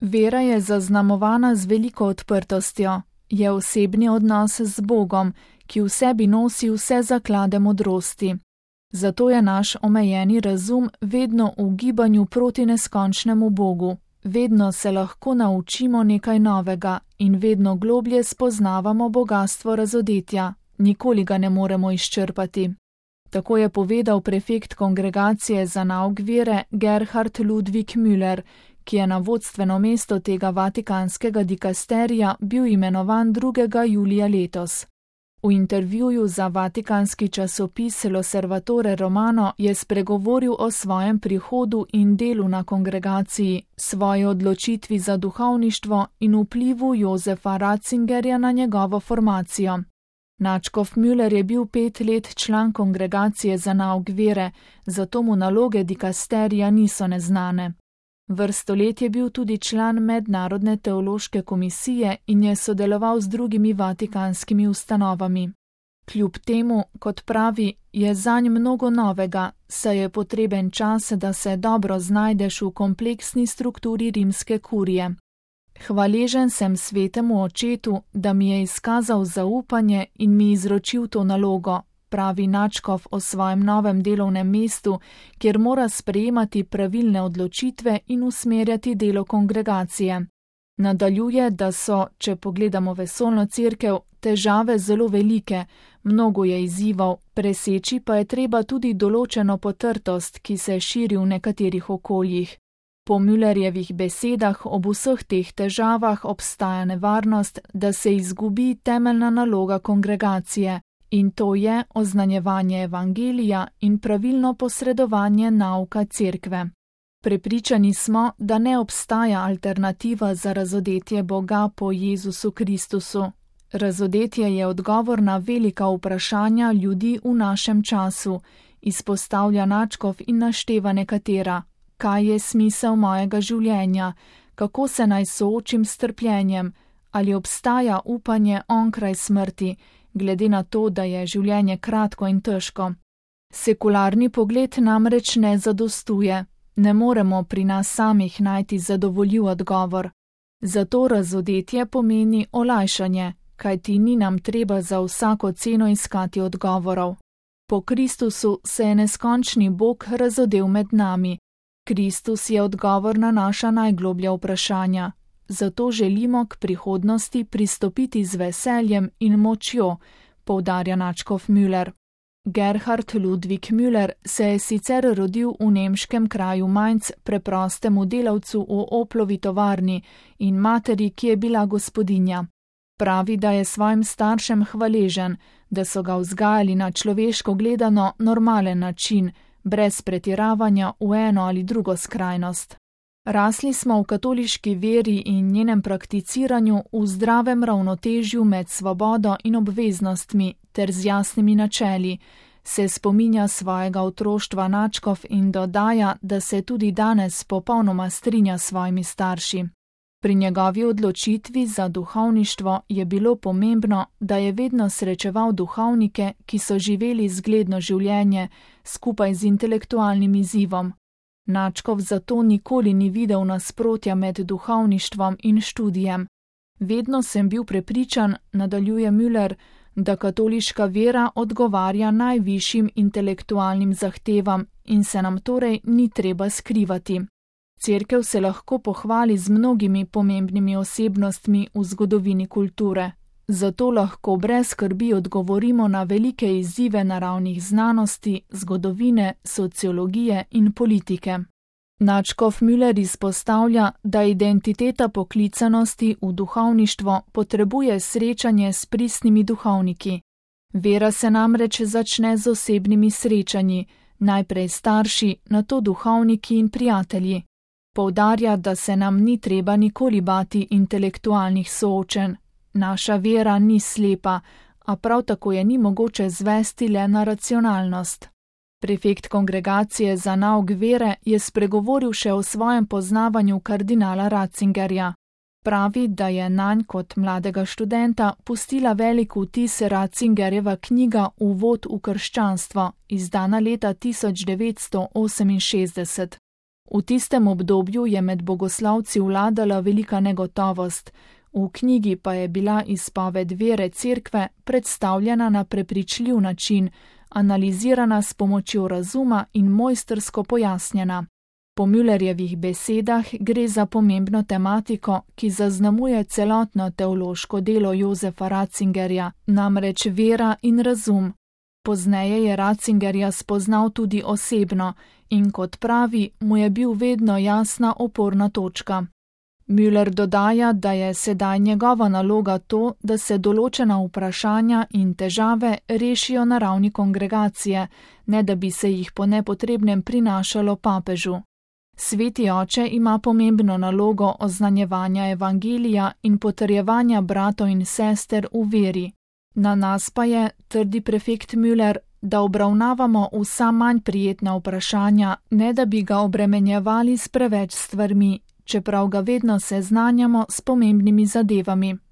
Vera je zaznamovana z veliko odprtostjo, je osebni odnos z Bogom, ki v sebi nosi vse zaklade modrosti. Zato je naš omejeni razum vedno v gibanju proti neskončnemu Bogu. Vedno se lahko naučimo nekaj novega in vedno globlje spoznavamo bogastvo razodetja, nikoli ga ne moremo izčrpati. Tako je povedal prefekt kongregacije za nauk vere Gerhard Ludwig Müller, ki je na vodstveno mesto tega vatikanskega dikasterija bil imenovan 2. julija letos. V intervjuju za vatikanski časopis L'Osservatore Romano je spregovoril o svojem prihodu in delu na kongregaciji, svoji odločitvi za duhovništvo in vplivu Josefa Ratzingerja na njegovo formacijo. Nadškof Müller je bil 5 let član kongregacije za nauk vere, zato mu naloge dikasterija niso neznane. Vrsto let je bil tudi član Mednarodne teološke komisije in je sodeloval z drugimi vatikanskimi ustanovami. Kljub temu, kot pravi, je zanj mnogo novega, saj je potreben čas, da se dobro znajdeš v kompleksni strukturi rimske kurije. Hvaležen sem svetemu očetu, da mi je izkazal zaupanje in mi izročil to nalogo, pravi nadškof o svojem novem delovnem mestu, kjer mora sprejemati pravilne odločitve in usmerjati delo kongregacije. Nadaljuje, da so, če pogledamo vesoljno cerkev, težave zelo velike, mnogo je izzivov, preseči pa je treba tudi določeno potrtost, ki se širi v nekaterih okoljih. Po Müllerjevih besedah ob vseh teh težavah obstaja nevarnost, da se izgubi temeljna naloga kongregacije, in to je oznanjevanje evangelija in pravilno posredovanje nauka cerkve. Prepričani smo, da ne obstaja alternativa za razodetje Boga po Jezusu Kristusu. Razodetje je odgovor na velika vprašanja ljudi v našem času, izpostavlja nadškof in našteva nekatera. Kaj je smisel mojega življenja, kako se naj soočim s trpljenjem, ali obstaja upanje onkraj smrti, glede na to, da je življenje kratko in težko. Sekularni pogled namreč ne zadostuje, ne moremo pri nas samih najti zadovoljiv odgovor. Zato razodetje pomeni olajšanje, kajti ni nam treba za vsako ceno iskati odgovorov. Po Kristusu se je neskončni Bog razodel med nami. Kristus je odgovor na naša najgloblja vprašanja. Zato želimo k prihodnosti pristopiti z veseljem in močjo, poudarja nadškof Müller. Gerhard Ludwig Müller se je sicer rodil v nemškem kraju Mainz preprostemu delavcu v Oplovi tovarni in materi, ki je bila gospodinja. Pravi, da je svojim staršem hvaležen, da so ga vzgajali na človeško gledano normalen način, brez pretiravanja v eno ali drugo skrajnost. Rasli smo v katoliški veri in njenem prakticiranju v zdravem ravnotežju med svobodo in obveznostmi ter z jasnimi načeli, se spominja svojega otroštva nadškof in dodaja, da se tudi danes popolnoma strinja s svojimi starši. Pri njegovi odločitvi za duhovništvo je bilo pomembno, da je vedno srečeval duhovnike, ki so živeli zgledno življenje, skupaj z intelektualnim izzivom. Nadškof zato nikoli ni videl nasprotja med duhovništvom in študijem. Vedno sem bil prepričan, nadaljuje Müller, da katoliška vera odgovarja najvišjim intelektualnim zahtevam in se nam torej ni treba skrivati. Cerkev se lahko pohvali z mnogimi pomembnimi osebnostmi v zgodovini kulture. Zato lahko brez skrbi odgovorimo na velike izzive naravnih znanosti, zgodovine, sociologije in politike. Nadškof Müller izpostavlja, da identiteta poklicanosti v duhovništvo potrebuje srečanje s pristnimi duhovniki. Vera se namreč začne z osebnimi srečanji, najprej starši, nato duhovniki in prijatelji. Poudarja, da se nam ni treba nikoli bati intelektualnih soočenj. Naša vera ni slepa, a prav tako je ni mogoče zvesti le na racionalnost. Prefekt kongregacije za nauk vere je spregovoril še o svojem poznavanju kardinala Ratzingerja. Pravi, da je nanj kot mladega študenta pustila velik vtis Ratzingerjeva knjiga Uvod v krščanstvo, izdana leta 1968. V tistem obdobju je med bogoslovci vladala velika negotovost, v knjigi pa je bila izpoved vere Cerkve predstavljena na prepričljiv način, analizirana s pomočjo razuma in mojstrsko pojasnjena. Po Müllerjevih besedah gre za pomembno tematiko, ki zaznamuje celotno teološko delo Josefa Ratzingerja, namreč vera in razum. Pozneje je Ratzingerja spoznal tudi osebno in kot pravi, mu je bil vedno jasna oporna točka. Müller dodaja, da je sedaj njegova naloga to, da se določena vprašanja in težave rešijo na ravni kongregacije, ne da bi se jih po nepotrebnem prinašalo papežu. Sveti oče ima pomembno nalogo oznanjevanja evangelija in potrjevanja bratov in sester v veri. Na nas pa je, trdi prefekt Müller, da obravnavamo vsa manj prijetna vprašanja, ne da bi ga obremenjevali s preveč stvarmi, čeprav ga vedno seznanjamo s pomembnimi zadevami.